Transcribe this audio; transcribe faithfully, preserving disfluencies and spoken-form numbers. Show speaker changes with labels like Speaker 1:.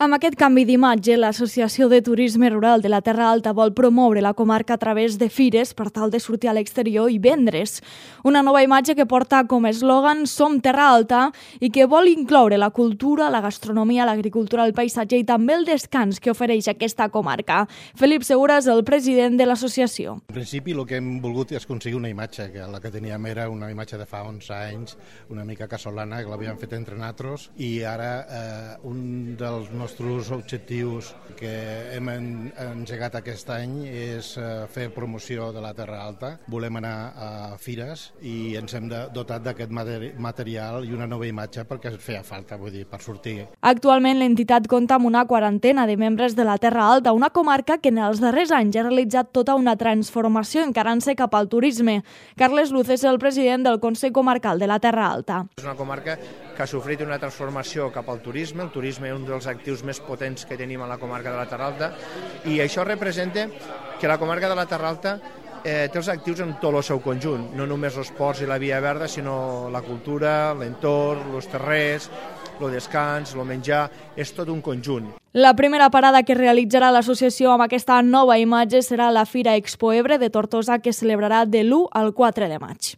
Speaker 1: Amb aquest canvi d'imatge, l'Associació de Turisme Rural de la Terra Alta vol promoure la comarca a través de fires per tal de sortir a l'exterior i vendre's. Una nova imatge que porta com a eslògan Som Terra Alta i que vol incloure la cultura, la gastronomia, l'agricultura, el paisatge i també el descans que ofereix aquesta comarca. Felip Segura és el president de l'associació.
Speaker 2: En principi el que hem volgut és aconseguir una imatge, que la que teníem era una imatge de fa onze anys, una mica casolana, que l'havíem fet entre nosaltres, i ara eh, un dels nostres nostres objectius que hem engegat aquest any és fer promoció de la Terra Alta. Volem anar a fires i ens hem dotat d'aquest material i una nova imatge perquè ens feia falta, vull dir, per sortir.
Speaker 1: Actualment l'entitat compta amb una quarantena de membres de la Terra Alta, una comarca que en els darrers anys ha realitzat tota una transformació encarant-se cap al turisme. Carles Luz és el president del Consell Comarcal de la Terra Alta.
Speaker 3: És una comarca que ha sofrit una transformació cap al turisme. El turisme és un dels actius més potents que tenim a la comarca de la Terra Alta i això representa que la comarca de la Terra Alta eh, té els actius en tot el seu conjunt, no només els ports i la via verda, sinó la cultura, l'entorn, els terrers, el descans, el menjar, és tot un conjunt.
Speaker 1: La primera parada que realitzarà l'associació amb aquesta nova imatge serà la Fira Expo Ebre de Tortosa, que celebrarà de l'u al quatre de maig.